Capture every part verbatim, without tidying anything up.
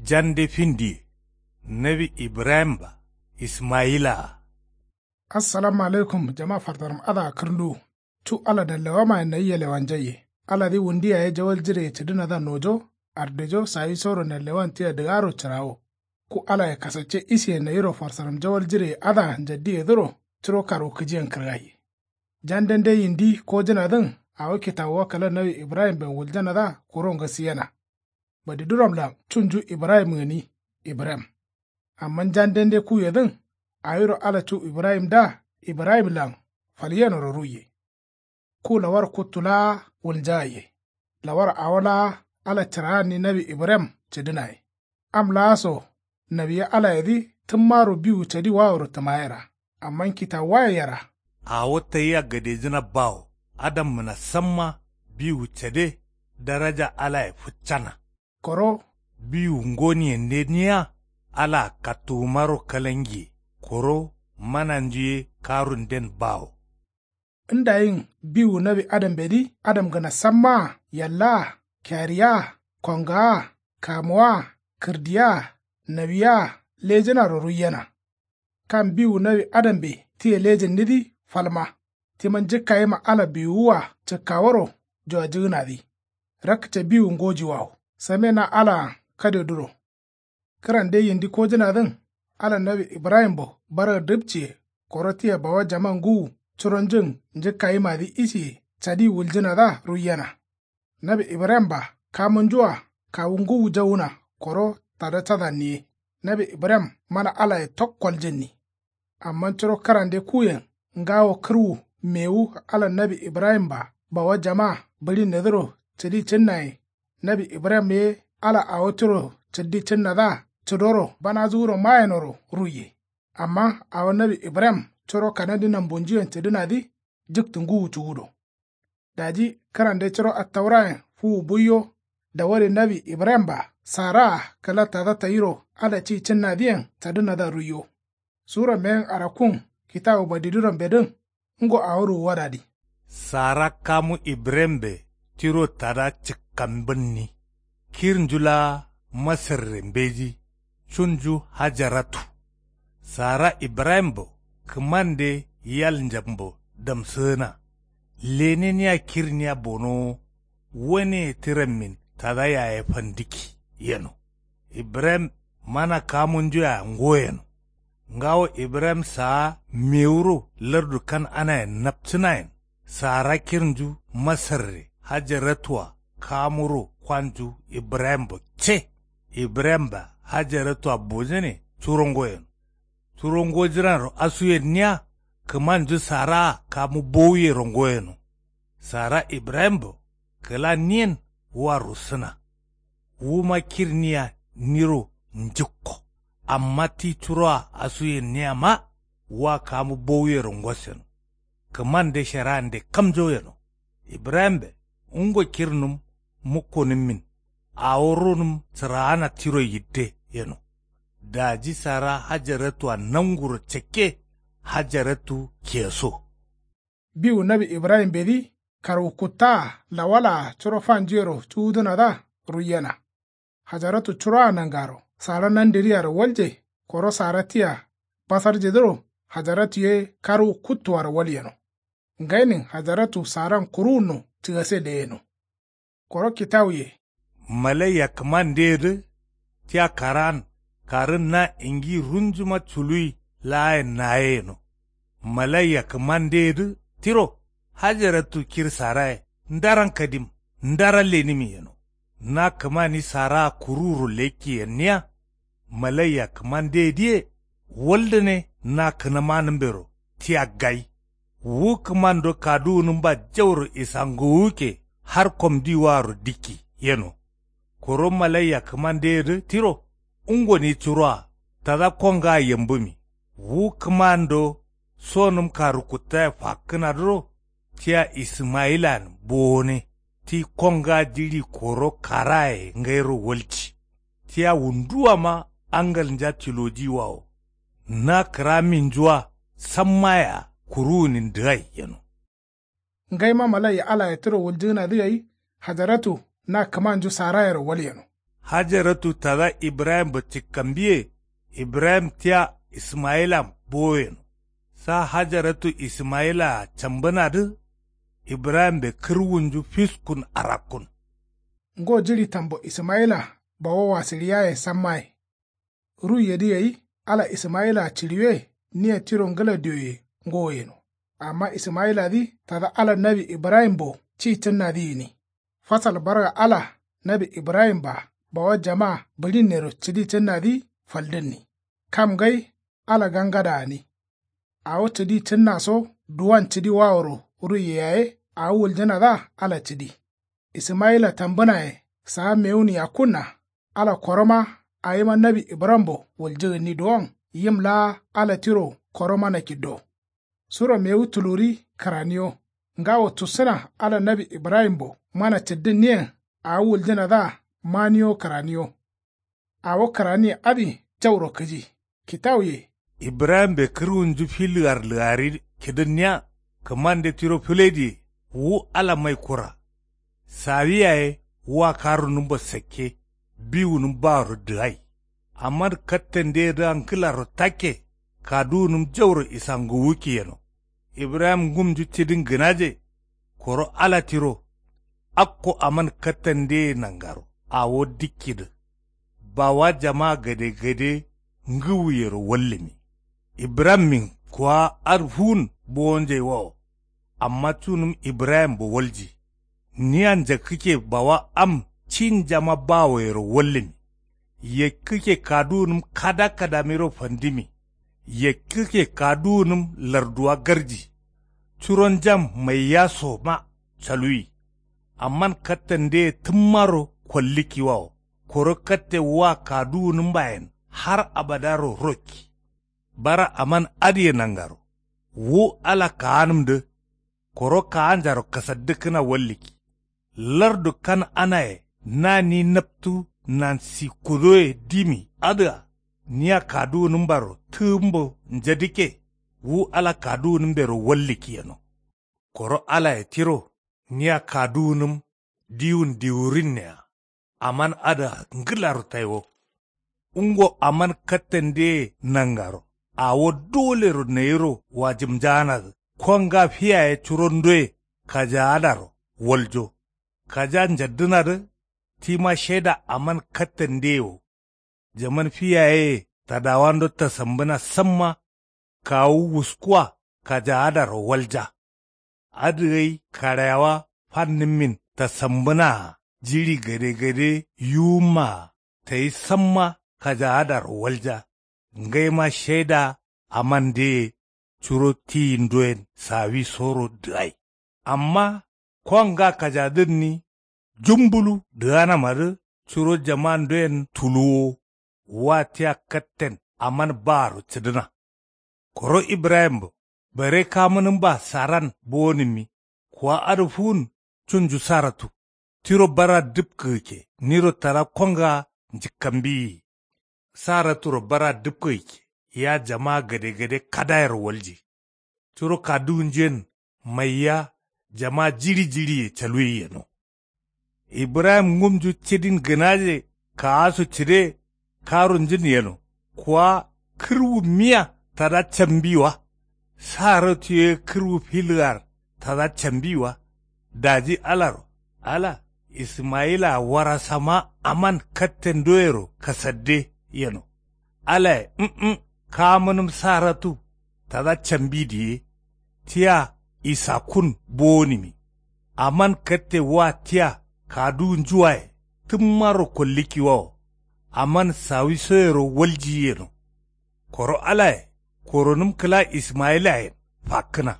Jande findiye. Nawi ibrahim-a ismayila-a. Assalamu alaikum jama fartaram adǝa kǝrnduwu. Cu ala nallewamayen nayi yalewanjaiye. Aladǝ wundi yaye jawal jireye cǝdǝnadǝa nojo, ardejo sawisoro nallewan tia dǝgaro cǝrawo. Ku alaye kasacce isiye nayiro farsaram jawal jireye adǝa njaddiyedǝro curo karwukǝjiyen kǝrgaiye. Jandende yindi kojǝnadǝn awo kitawuwa kǝla nawi ibrahimben wuljanadǝa kuro ngasiyena. Badiduramlan cunju ibrahim gǝni ibrahim. Amma jandende kuyedǝn awiro ala cu ibrahimdǝa ibrahimlan falyenoro ruiye. Ku lawar kuttu laa wulnjagaiye. Lawar awo laa ala cǝraanni nawi ibrahim cǝdǝnaye. Am laa so nawiye alayedǝ tǝmmaro biwu cadi waworo tǝmayera. Amma kitawuwaye yera. Awo tayia gadejǝna bawo. Adammǝna samma biwu cade daraja alaye fǝccana. Koro biwu ngoniyende niya alaa kattuwumaro kalangiye. Koro mananju ye karunden bawo. Ndayin biwu nawi adambedǝ adamgǝna sammaa yallaa kiyariyaa kongaa kamuwaa kǝrdiyaa nawiyea lejǝnaro ruiyena. Kam biwu nawi adambe tia lejǝnnidǝ falma. Tima njǝkkayima ala biwuwua cǝkkaworo juwajǝgǝnadǝ. Rakce biwu ngojiwawo same na alaan kadeduro. Kǝrande yindi kojǝnadǝn ala nawi ibrahimbo barga dǝpciye. Koro tia bawa jama ngǝwu curonjun njǝkkayimadǝ isiye cadi wuljǝnadǝa ruiyena. Nawi ibrahim-a kamunju-a kawu ngǝwu jawuna koro tada cadanniye. Nawi ibrahim mana alaye tok koljǝnni. Amma curo kǝrande kuyen ngawo kǝrwu mewu ala nawi ibrahim-a bawa jama bǝɍinnedǝro cǝdi cǝnnaye. Nawi ibrahim ye ala awo tiro cǝddi cǝnnadǝa cǝdoro banazu wuro mayenoro ruiye. Amma awo nawi ibrahim curo kanadi nambunjuyen cǝdǝnadǝ jǝktǝ ngǝwu cuwudo. Daji kǝrande curo attaurayen fuwu buiyo. Dawade nawi ibrahim-a saraa kǝla tada tayiro ala ci cǝnnadǝyen cadǝnadǝa ruiyo. Sura meyen arakkun kitawu badidurambedǝn ngo awo ruwuwadadǝ. Sara kamu ibrahimbe tiro tada cǝkkambǝnni. Kirnju laa masarre mbeji cunju hajaratu. Sara ibrahimbo kǝmande yal njambo damsǝgǝna. Leneniya kirniya bonowo. Waneye tǝrammin tada yaye fandǝkki yeno. Ibrahim mana kamunjuya ngo yeno. Ngawo ibrahim saa mewuro lardu kan'anayen napcǝnayen. Sara kirnju masarre hajaratua kamuro kwanju ibrahimbo ce. Ibrahim-a hajaratua bojane curo ngo yeno. Curo ngojǝnaro asuyenniya kǝmanju saraa kamu bowuyero ngo yeno. Sara ibrahimbo kǝla niyen wa russǝna. Wuma kirniya niro njǝkko. Amma ti curoa asuyenniyama wa kamu bowuyero ngos yeno. Kǝmande sherande kamjo yeno. Ibrahimbe ngo kirnǝm mukkonǝmmin. Awo runǝm sǝraana tiro yidde yeno. Daji sara hajaratua nanguro cakke. Hajaratu keso. Biwu nawi ibrahimbedǝ karwu kuttaa lawalaa curo fanjuyero cuwudǝnadǝa ruiyena. Hajaratu curoa nangaro sara nandǝriyaro walje. Koro sara tia basarjedǝro hajaratu ye karwu kuttuaro walyeno. Ngainin hajaratu saran kuruwunno cǝgase leyeno. Koro kitawuye. Malaiya kǝmandeyedǝ tia karaan karǝn na ingi runjuma culuwi laayen naye yeno. Malaiya kǝmandeyedǝ tiro hajaratu kir saraye ndaran kadim ndaran lenimi yeno. Na kǝmani saraa kuruwuro lekki yenniya. Malaiya kǝmandeyedǝye waldǝne na kǝnamanǝmbero tia gai. Wu kǝmando kaduwunǝmba jauro isangowukke har komdiwaro dikki yeno. Koro malaiya kǝmandeyedǝ tiro ungoni curoa tada kongaa yambǝmi. Wu kǝmando sonǝm karu kuttaye fakkǝnadǝro tia ismayilan bowone. Ti kongaa jiɍi koro karaye ngairo walci. Tia wunduwama angalnja tilojiwawo. Na kǝraminjua sammayea kuruwunin dǝgai yeno. Ngaima malaiya alaye tiro wuljǝgǝnadǝ gai hajaratu na kǝmanju sarayero walyeno. Hajaratu tada ibrahimbo cikkambiye. Ibrahim tia ismayilan bowo yeno. Sa hajaratu ismayilaa cambǝnadǝ. Ibrahimbe kǝrwunju fiskun arakkun. Ngo jiɍi tambo ismayila bawo wasǝɍiyaye sammaye. Ruiyedǝ gai ala ismayilaa ciɍiwe. Nia tiro ngǝla dioye ngowo yeno. Amma ismayiladǝ tada ala nawi ibrahimbo ci cǝnnadǝ gǝni. Fasal barga ala nawi ibrahimba bawa jama bǝɍinnero cǝdi cǝnnadǝ faldǝnni. Kam ngai ala gangada gǝni. Awo cǝdi cǝnnaso duwan cǝdi waworo ruiye yaye awo wuljǝnadǝa ala cǝdi. Ismayila tambǝnaye saa mewun yakkunna. Ala koroma awima nawi ibrahimbo wuljǝgǝnni duwon yim laa ala tiro koromana kiddo. Suro mewu tuluri kǝraniyo. Ngawo tussǝna ala nawi ibrahimbo mana cǝddǝnniyen awo wuljǝnadǝa maniyo kǝraniyo. Awo kǝraniye adǝ jauro kǝji. Kitawuye. Ibrahimbe kǝrwunju fi lǝgar lǝgari kidǝnniya. Kǝmande tiro fǝlediye wu ala mai kura. Sawi yaye wa karunǝmbo sakke. Biwunǝm baworo dǝgai. Aman kattandeyedǝa ngǝlaro takke. Kaduwunǝm jauro isanguwukki yeno. Ibrahim ngumnju cidin gǝnaje. Koro ala tiro. Akko aman kattandeye nangaro awo dikkidǝ. Bawa jama gadegade ngǝwuyero wallǝmi. Ibrahimmin kuwa adǝ fuwun bowonjaiwawo. Amma cunǝm ibrahimbo walji. Nia njakkǝkke bawa am cinjama bawoyero wallǝmi. Yakkǝkke kaduwunǝm kada kadamiro fandimi. Yakkǝkke kaduwunǝm larduwa garji. Curonjam maiyasoma caluwi. Amman kattandeye tǝmmaro kollikkiwawo. Koro katte wa kaduwunǝmbayen har abadaro rokki. Bara aman adǝye nangaro. Wu ala kaanǝmdǝ. Koro kaanjaro kasaddǝkkǝna wallikki. Lardu kan'anaye na ni naptu nansikkudoye dimi adǝa. Nia kaduwunǝmbaro tǝgǝmbo njadikke. Wu ala kaduwunǝmbero wallikki yeno. Koro alaye tiro nia kaduwunǝm diwun diwurinnea. Aman adǝa ngǝlaro taiwo. Ungo aman kattandeye nangaro awo dolero nayiro wajǝmjaanadǝ. Konga fi yaye curondoye kajaadaro waljo. Kaja njaddǝnadǝ. Tima shaida aman kattandeye wo. Jaman fi yayeye tadawando tasambǝna samma. Kawu wuskuwa kajaadaro walja. Adǝ gai karayawa fannǝmmin tasambǝnaa jiɍi gadegade yuwummaa tayi samma kajaadaro walja. Ngaima shaida amandeye curo tiyindoyen sawisoro dǝgai. Amma konga kajadǝnni jumbulu dǝganamadǝ curo jamandoyen tuluwo. Wa tia katten aman baaro cǝdǝna. Koro ibrahimbo bare kamǝnǝmba saran bowonǝmmi. Kuwa adǝ fuwun cunju saratu. Tiro bara dǝpkǝgǝkke niro tada konga njǝkkambiyi. Saraturo bara dǝpkǝgǝkke ya jama gadegade kadayero walji. Curo kaduwunjuyen maiya jama jiɍi jiɍiye caluwi yeno. Ibrahim ngumnju cidin gǝnaje kaasu cǝde karunjǝn yeno. Kuwa kǝrwu miya tada cambi wa. Saratu ye kǝrwu filgar tada cambi wa. Daji alaro ala ismayilaa warasama aman kattendoyero kasadde yeno. Alaye mm kamǝnǝm saratu tada cambi diye. Tia isakkun bowonǝmi. Aman katte wa tia kaduwunju waye tǝmmaro kollikkiwawo. Aman sawisoyero waljiyi yeno. Koro alaye koronǝm kǝla ismayilayen fakkǝna.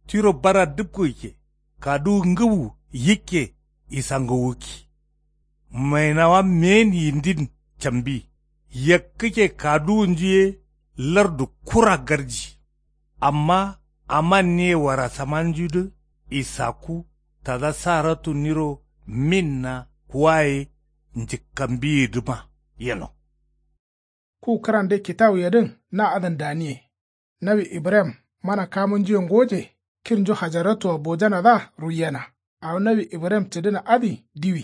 Tiro bara dǝpkǝgǝkke kaduwu ngǝwu yikke isangowukki. Mainawa meyen yindin cambi. Yakkǝkke kaduwunju ye lardu kura garji. Amma amanniye warasamanjudǝ isakku tada saratu niro minna kuwaye njǝkkambiyedǝma yeno. Ku kǝrande kitawuyedǝn na adǝn daniye. Nawi ibrahim mana kamunjuye ngoje. Kirnju hajaratuwa bojanadǝa ruiyena. Awo nawi ibrahim cǝdǝna adǝ diwi.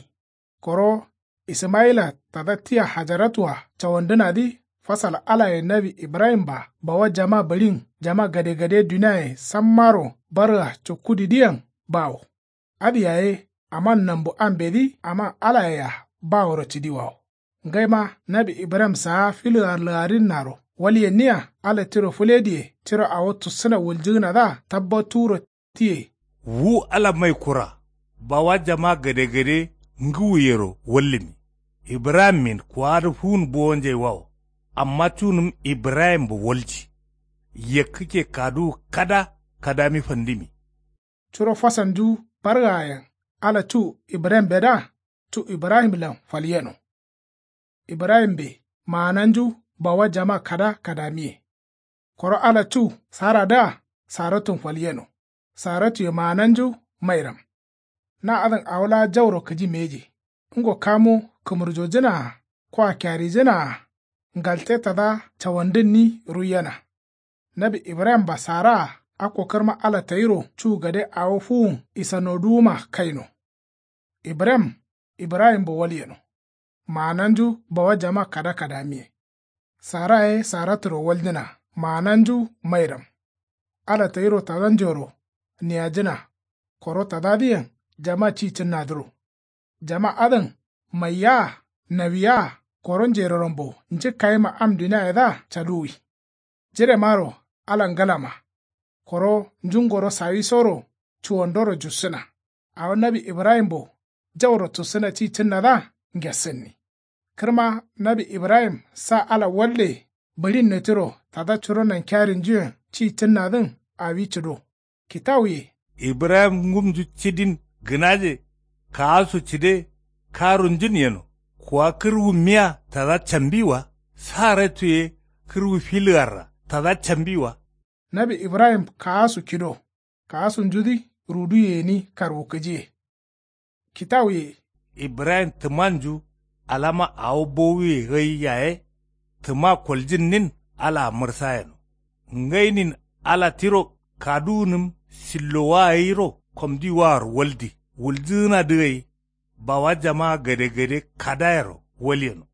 Koro Ismayila tada tia hajaratu-a cawandǝnadǝ. Fasal alaye nawi ibrahim-a bawa jama bǝɍin jama gadegade duniaye sammaro barga cukkudidǝyen bawo. Adǝ yaye aman nambu ambedǝ aman alaye-a baworo cǝdiwawo. Ngaima nawi ibrahim saa filǝa lǝgarinnaro walyenniya ala tiro fǝlediye tiro awo tussǝna wuljǝgǝnadǝa tabbatuwuro tiye. Wu ala mai kura bawa jama gadegade ngǝwuyero wallǝmi. Ibrahimmin kuwadǝ fuwun bowonjaiwawo. Amma cunǝm ibrahimbo walji. Yakkǝkke kaduwu kada kadami fandǝmi. Curo fasalnju bargayen ala cu ibrahimbedǝa cu ibrahimlan falyeno. Ibrahimbe maananju bawa jama kada kadamiye. Koro ala cu saradǝa saratun falyeno. Saratuye maananju mairam. Na adǝn awo laa jauro kǝji mbeji. Ngo kamu kǝmurjojǝnaa koa kyarijǝnaa ngalte tada cawandǝnni ruiyena. Nawi ibrahim-a saraa akko kǝrma ala tayiro cu gade awo fuwun isanoduwuma kaino. Ibrahim ibrahimbo walyeno. Maananju bawa jama kada kadamiye. Sara ye saraturo walnjǝna maananju mairam. Ala tayiro tadanjoro niyajǝna. Koro tadadǝyen jama ci cǝnnadǝro. Jama adǝn maiya-a nawiya-a koro njerorambo njǝkkayima am duniayedǝa caduwi. Jiremaro ala ngǝlama. Koro njungoro sawisoro cuwandoro jussǝna. Awo nawi ibrahimbo jauro tussǝna ci cǝnnadǝa ngessǝnni. Kǝrma nawi ibrahim sa ala walle bǝɍinne tiro tada curo nankiyarinjuyen ci cǝnnadǝn awi cǝdo. Kitawuye ibrahim ngumnju cidin gǝnaje kaasu cǝde karunjun yeno. Kuwa kǝrwummiya tada cambi wa. Saratu ye kǝrwu filǝgarra tada cambi wa. Nawi ibrahim kaasu kido kaasunjudǝ ruduye gǝni karwukǝjiye. Kitawuye ibrahim tǝmanju alama awo bowuye gai yaye tǝma koljǝnnin alaa mǝrsa yeno. Ngainin ala tiro kaduwunǝm sillowa gairo komdiwaworo waldi wuljǝgǝnadǝ gai. Bawa jama gadegade kadayero walyeno.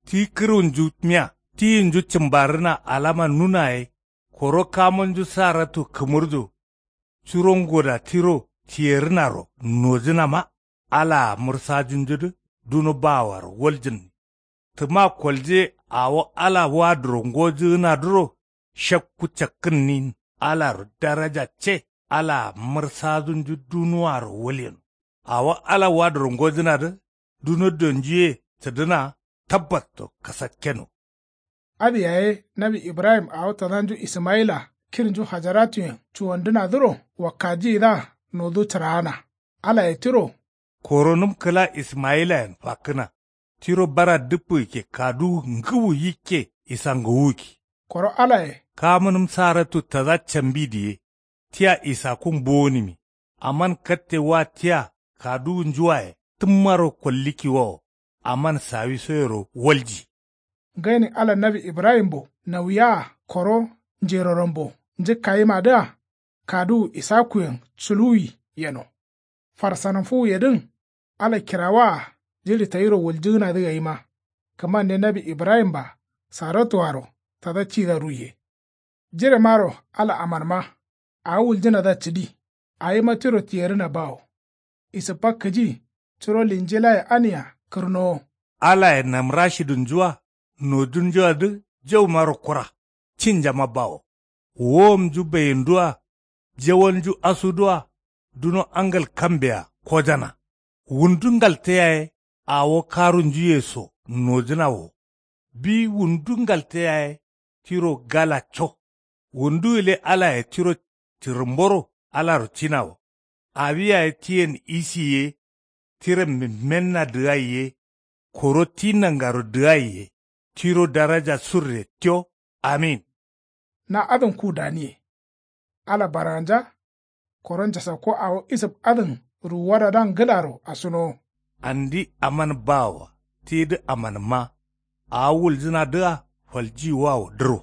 Ti kǝrwunju miya tiyinju cǝmbarrǝna alama nuna ye koro kamonju saratu kǝmurjo. Curo ngoda tiro tiyerǝnaro nojǝnama alaa mǝrsajunjudǝ duno baawaro waljǝnni. Tǝma kolje awo ala waduro ngojǝgǝnadǝro shakku cakkǝnnin alaro daraja ce alaa mǝrsajunju dunuwaro walyeno. Awo ala waduro ngojǝnadǝ duno donjuye cǝdǝna tabbatto kasakkeno. Adǝ yaye nawi ibrahim awo tadanju ismayila kirnju hajaratuyen cuwandǝnadǝro wakkajiyidǝa nodu cǝraana. Alaye tiro koronǝm kǝla ismayilayen fakkǝna. Tiro bara dǝppǝgǝkke kaduwu ngǝwu yikke isangowugǝkki. Koro alaye kamǝnǝm saratu tada cambi diye tia isakkun bowonǝmi. Aman katte wa tia kaduwunjuwaye tǝmmaro kollikkiwawo. Aman sawisoyero walji. Ngainin ala nawi ibrahimbo nawiya-a koro njerorambo njǝkkayimadǝa kaduwu isakkuyen culuwi yeno. Farsanamfuwuyedǝn ala kirawaa jiɍi tayiro wuljǝgǝnadǝ gaima. Kǝmande nawi ibrahim-a saratuaro tada cida ruiye. Jiremaro ala amanma awo wuljǝnadǝa cǝdi. Awima tiro tiyerǝna bawo. Isǝppa kǝji curo linjilaye ania kǝrnowo. Alaye namrashidunjua nojunjuadǝ jaumaro kura cinjama bawo. Wowomnju bayindua jawalnju asudua duno angal kambea kojana. Wundu ngalte yaye awo karunjuye so nojǝna wo. Bi wundu ngalte yaye tiro gala co. Wundu gǝle alaye tiro cǝrǝmboro alaro cina wo. Awi yaye tiyen isi ye tiren mimmenna dǝgai ye koro ti nangaro dǝgai ye tiro daraja surre tio. Amin. Na adǝn ku daniye. Ala barganja koro njasakko awo isǝp adǝn ruwuwadadǝa ngǝlaro asunowo. Andi aman bawoa tidǝ amanǝmma. Awo wuljǝnadǝa faljiyiwawo dǝro.